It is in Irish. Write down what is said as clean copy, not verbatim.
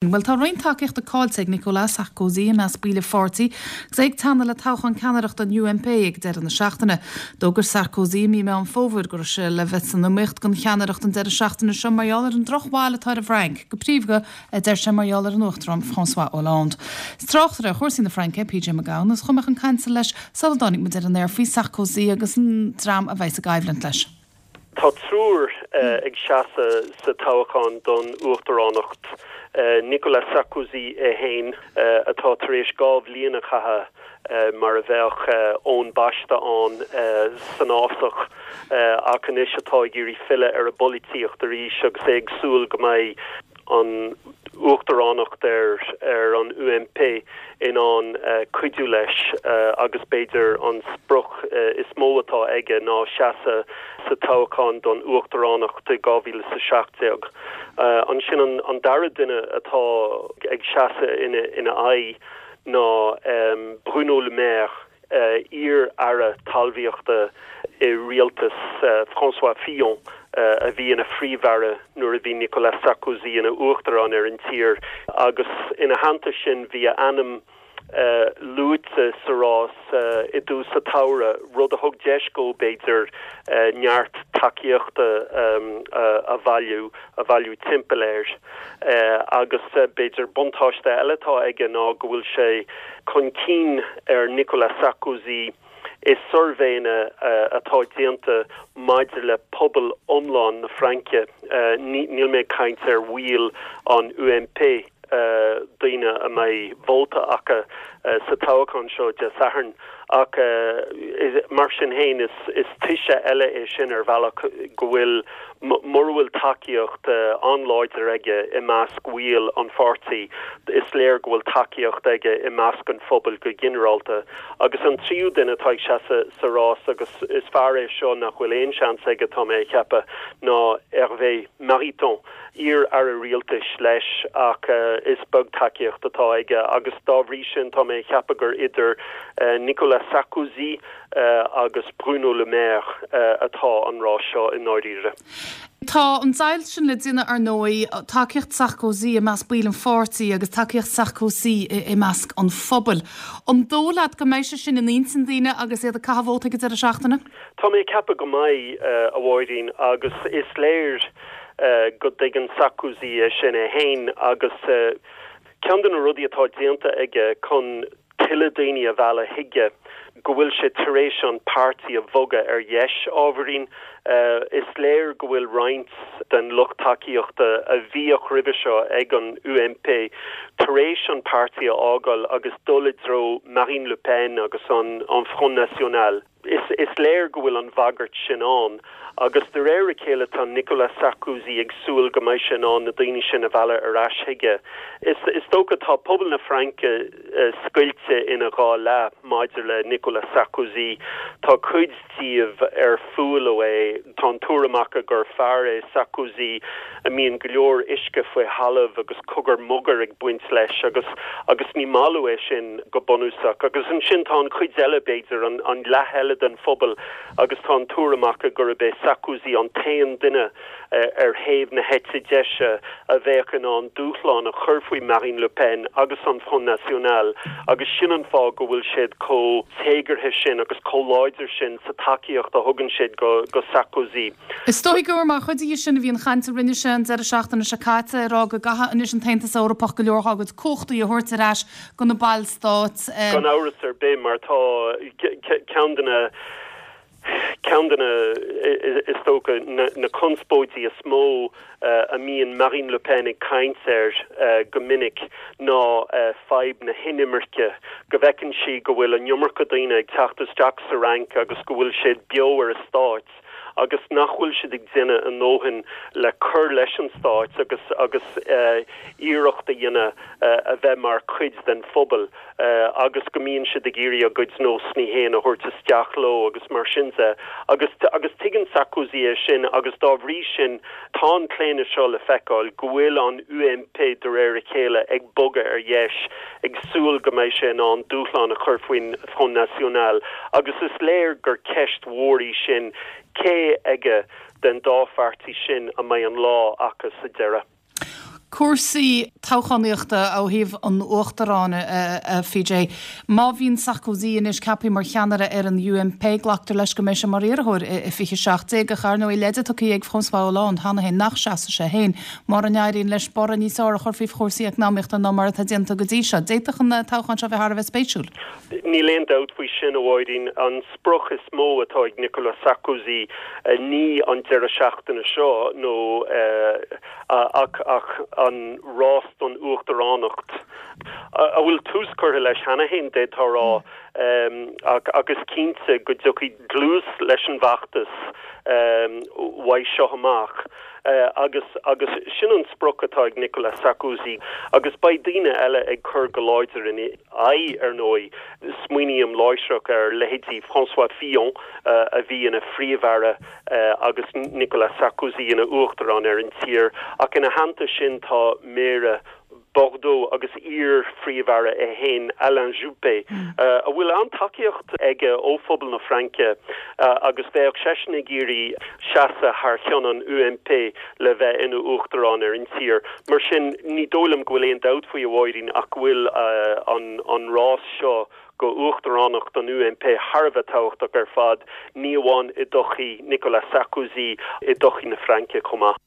Bhuel, tá roinnt tacaíochta caillte ag Nicolas Sarkozy i measc baill a pháirtí agus é ag teannadh le toghchán ceannaireachta an UMP ag deireadh na seachtaine. D'fhógair Sarkozy i mí Meán Fómhair go raibh sé le bheith san iomaíocht don cheannaireacht an deireadh seachtaine seo mar gheall ar an drochbhail atá ar an bhFrainc, go príomha, a deir sé, mar gheall ar an Uachtarán François Hollande. Is tráchtaire ar chúrsaí na Fraince é PJ Mac Gabhann agus chuaigh mé chun cainte leis sula dtáinig muid ar an aer faoi Sarkozy agus an dream a bheidh sa gcoimhlint leis. Tá triúr ag seasamh sa toghchán don uachtaránacht, Nicolas Sarkozy é féin, atá tar éis 2 bhliain a chaitheamh mar a bheadh Eoin Baiste ann san fhásach ach anois atá ag iarraidh filleadh ar an bpolaitíocht arís agus é ag súil go mbeidh an uachtaránacht ar an UMP in ann cuidiú leis agus b'fhéidir an sprioc is mó atá aige ná seasamh sa toghchán don uachtaránacht i 2017. Ansin an dara duine atá ag seasamh ina aghaidh ná Bruno Le Maire, iar-aire talmhaíochta i rialtas François Fillon a bhí ina phríomh-aire nuair a bhí Nicolas Sarkozy ina uachtarán ar an tír agus ina theannta sin bhí a ainm luaite sa rás i dtús an tsamhraidh, rud a thug deis dó, b'fhéidir, neart tacaíochta a bhailiú a bhailiú timpeall air. Agus b'fhéidir buntáiste eile atá aige ná go bhfuil sé chun cinn ar Nicolas Sarkozy i suirbhéanna atá déanta maidir le pobal iomlán na Fraince, níl mé ag caint ar bhaill an UMP, daoine a mbeidh vóta acu sa toghchán seo Dé Sathairn. Ach mar sin féin, is toise eile é sin ar bhealach go bhfuil, mura bhfuil tacaíocht an-láidir aige i measc bhaill an pháirtí, is léir go bhfuil tacaíocht aige i measc an phobail go ginearálta. Agus an tríú duine atá ag seasamh sa rás, agus is fear é seo nach bhfuil aon seans aige, tá mé a cheapadh, ná Hervé Mariton. iar-aire rialtais leis ach is beag tacaíocht atá aige agus dá bhrí sin tá mé a cheapadh gur idir Nicolas Sarkozy agus Bruno Le Maire atá an rás seo i ndáiríre. Tá an deighilt sin le déanamh ar ndóigh, tacaíocht Sarkozy i measc baill an pháirtí agus tacaíocht Sarkozy i measc an phobail. An dóigh leat go mbeidh sé sin in intinn daoine agus iad ag caitheamh vóta ag an deireadh seachtaine? Tá mé ag ceapadh go mbeidh, a Mháirín, agus is léir go dtuigeann Sarkozy é sin é féin agus ceann de na rudaí atá déanta aige chun tuilleadh daoine a mhealladh chuige, go bhfuil sé tar éis an páirtí a bhogadh ar dheis ábhairín. Is léir go bhfuil roinnt den lucht tacaíochta a bhíodh roimhe seo ag an UMP tar éis an páirtí a fhágáil agus dul i dtreo Marine Le Pen agus an Front National. Is léir go bhfuil an bhagairt sin ann agus de réir a chéile tá Nicolas Sarkozy ag súil go mbeidh sé in ann na daoine sin a mhealladh ar ais chuige. Is dócha tá pobal na Fraince scoilte ina dhá leath maidir le Nicolas Sarkozy. Tá cuid díobh ar fuath leo é. Tá an tuairim acu gur fear é Sarkozy a mbíonn go leor uisce faoi thalamh agus cogar mogar ag baint leis agus agus ní maith leo é sin go bunúsach. Agus ansin tá an chuid eile, b'fhéidir, an an leath eile den phobal agus tá an tuairim acu gurb é Sarkozy an t-aon duine ar thaobh na heite deise a bheadh in ann dúshlán a chur faoi Marine Le Pen agus an Front National agus sin an fáth go bhfuil siad chomh téagartha sin agus chomh láidir sin sa tacaíocht a thugann siad go go Sarkozy. Is dóigh gur mar chuid dhe sin a bhí an chaint a rinne sé an deireadh seachtaine seo caite, ag rá go gcaithfidh anois an tAontas Eorpach go leor dá gcuid cumhachtaí a thabhairt ar ais go na ballstáit. Gan amhras ar bith, mar tá ceann de na, ceann de na, is dócha, na conspóidí is mó a mbíonn Marine Le Pen ag caint air go minic ná fadhb na hinimirce, go bhfeiceann sí go bhfuil an iomarca daoine ag teacht isteach sa Fhrainc agus go bhfuil siad beo ar an stát. agus nach bhfuil siad ag déanamh a ndóthain le cur leis an stát agus agus iarracht a dhéanamh a bheith mar chuid den phobal agus go mbíonn siad ag iarraidh a gcuid nósanna féin a thabhairt isteach leo agus mar sin de. Agus agus tuigeann Sarkozy é sin agus dá bhrí sin tá an claonadh seo le feiceáil go bhfuil an UMP de réir a chéile ag bogadh ar dheis ag súil go mbeidh sé in ann dúshlán a chur faoin Front National agus is léir gur ceist mhór í sin, cé aige den dá pháirtí sin a mbeidh an lá acu sa deireadh. Cúrsaí toghchánaíochta ó thaobh an Uachtaráin, a PJ. Má bhíonn Sarkozy anois ceaptha mar cheannaire ar an UMP, glactar leis go mbeidh sé mar iarrthóir i 2017, ach ar ndóigh leide tugtha ag François Hollande cheana féin nach seasfaidh sé féin mura n-éiríonn leis borradh níos fearr a chur faoi chúrsaí eacnamaíochta ná mar atá déanta go dtí seo. D'fhéadfadh an toghchán seo a bheith thar a bheith spéisiúil. Níl aon dabht faoi sin, a Mháirín. An sprioc is mó atá ag Nicolas Sarkozy ní an deireadh seachtaine seo nó ach ach an rás don uachtaránacht, a bhfuil tús curtha leis cheana féin, d'fhéadfá a rá, ach ach is cinnte go dtiocfaidh dlús leis an bhfeachtas uaidh seo amach. Agus agus sin an sprioc atá ag Nicolas Sarkozy agus beidh daoine eile ag cur go láidir ina aghaidh, ar ndóigh. Smaoiním láithreach ar leithéidí François Fillon a bhí ina phríomh-aire agus Nicolas Sarkozy ina uachtarán ar an tír, ach ina theannta sin tá méara Bordeaux agus iar-phríomh-aire é féin, Alain Juppé, a bhfuil an-tacaíocht aige ó phobal na Fraince agus bheadh seisean ag iarraidh seasamh thar cheann an UMP le bheith ina uachtarán ar an tír. Mar sin, ní dóigh liom go bhfuil aon dabht faoi, a Mháirín, ach go bhfuil an rás seo go uachtaránacht an UMP thar a bheith tábhachtach ar fad, ní amháin i dtodhchaí Nicolas Sarkozy, i dtodhchaí na Fraince chomh maith.